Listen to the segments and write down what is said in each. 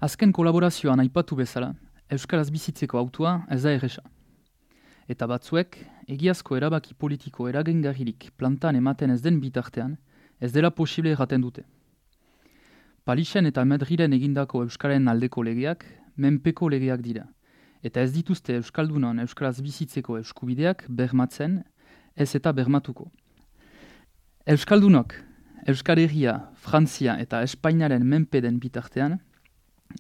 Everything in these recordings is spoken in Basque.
Azken kolaborazioan aipatu bezala, Euskaraz bizitzeko hautua ez da erresa. Eta batzuek, egiazko erabaki politiko eragingarririk plantan ematen ez den bitartean, ez dela posible erraten dute. Palixen eta Madrilen egindako Euskaren aldeko legeak, menpeko legeak dira, eta ez dituzte Euskaldunon Euskaraz bizitzeko eskubideak bermatzen, ez eta bermatuko. Euskaldunok, Euskal Herria, Frantzia eta Espainiaren menpe den bitartean,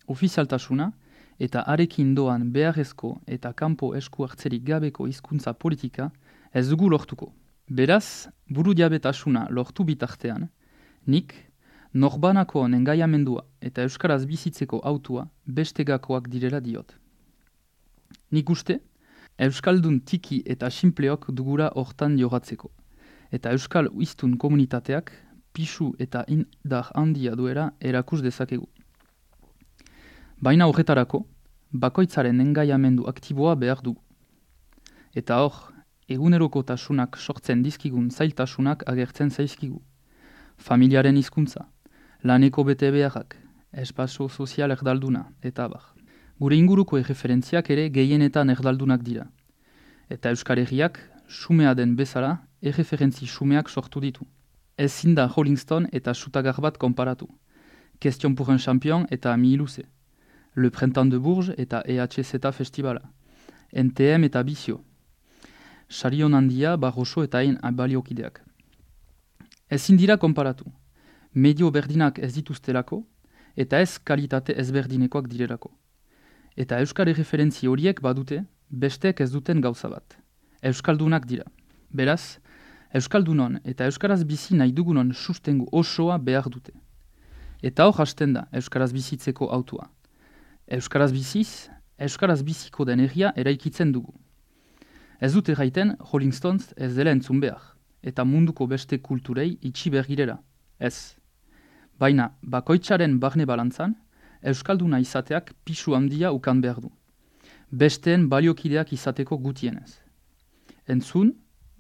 ofizialtasuna eta arekin doan beharrezko eta kanpo esku hartzerik gabeko hizkuntza politika ez dugu lortuko. Beraz, burujabetasuna lortu bitartean, nik norbanakoon engaiamendua eta Euskaraz bizitzeko hautua bestegakoak direla diot. Nik uste, Euskaldun tiki eta sinpleok dugula hortan jogatzeko, eta Euskal hiztun komunitateak pisu eta indar handia duela erakus dezakegu. Baina horretarako, bakoitzaren engaiamendu aktiboa behar dugu. Eta hor, egunerokotasunak sortzen dizkigun zailtasunak agertzen zaizkigu. Familiaren hizkuntza, laneko bete beharrak, espazio sozial erdalduna, eta abar. Gure inguruko erreferentziak ere gehienetan erdaldunak dira. Eta Euskal Herriak, xumea den bezala, erreferentzi xumeak sortu ditu. Ezin da Rolling Stone eta Sutagar bat konparatu. Question pour un champion eta Mihiluze. Le Printemps de Bourges eta EHZ Festivala. NTM eta Bizio. Sarion handia, Barroso eta hain baliokideak. Ezin dira konparatu. Medio berdinak ez dituztelako, eta ez kalitate ezberdinekoak direlako. Eta Euskal erreferentzi horiek badute, besteek ez duten gauza bat. Euskaldunak dira. Beraz, Euskaldunon eta Euskaraz bizi nahi dugunon sustengu osoa behar dute. Eta hor hasten da Euskaraz bizitzeko hautua. Euskaraz biziz, Euskaraz biziko den herria eraikitzen dugu. Ez dute gaiten Rolling Stones ez dela entzun behar, eta munduko beste kulturei itxi bergirela. Ez. Baina, bakoitzaren barne balantzan, Euskalduna izateak pisu handia ukan behar du. Besteen baliokideak izateko gutienez. Entzun,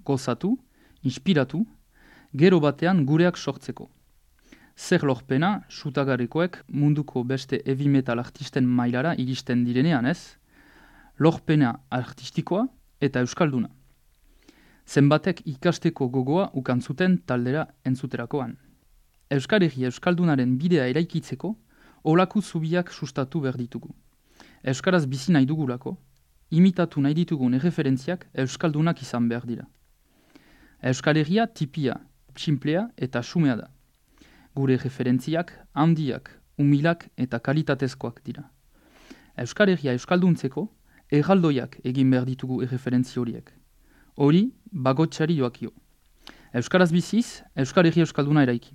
gozatu, inspiratu, gero batean gureak sortzeko. Zer lorpena, Sutagarekoek munduko beste heavy metal artisten mailara iristen direnean ez, lorpena artistikoa eta Euskalduna. Zenbatek ikasteko gogoa ukantzuten taldera entzuterakoan. Euskal Herria Euskaldunaren bidea eraikitzeko, olaku zubiak sustatu behar ditugu. Euskaraz bizi nahi dugulako, imitatu nahi ditugun erreferentziak Euskaldunak izan behar dira. Euskal Herria tipia, txinplea eta xumea da. Gure referentziak, handiak, umilak eta kalitatezkoak dira. Euskal Herria euskalduntzeko, erraldoiak egin behar ditugu erreferentzi horiek. Hori, bagotsari joakio. Euskaraz biziz, Euskal Herria euskalduna eraiki.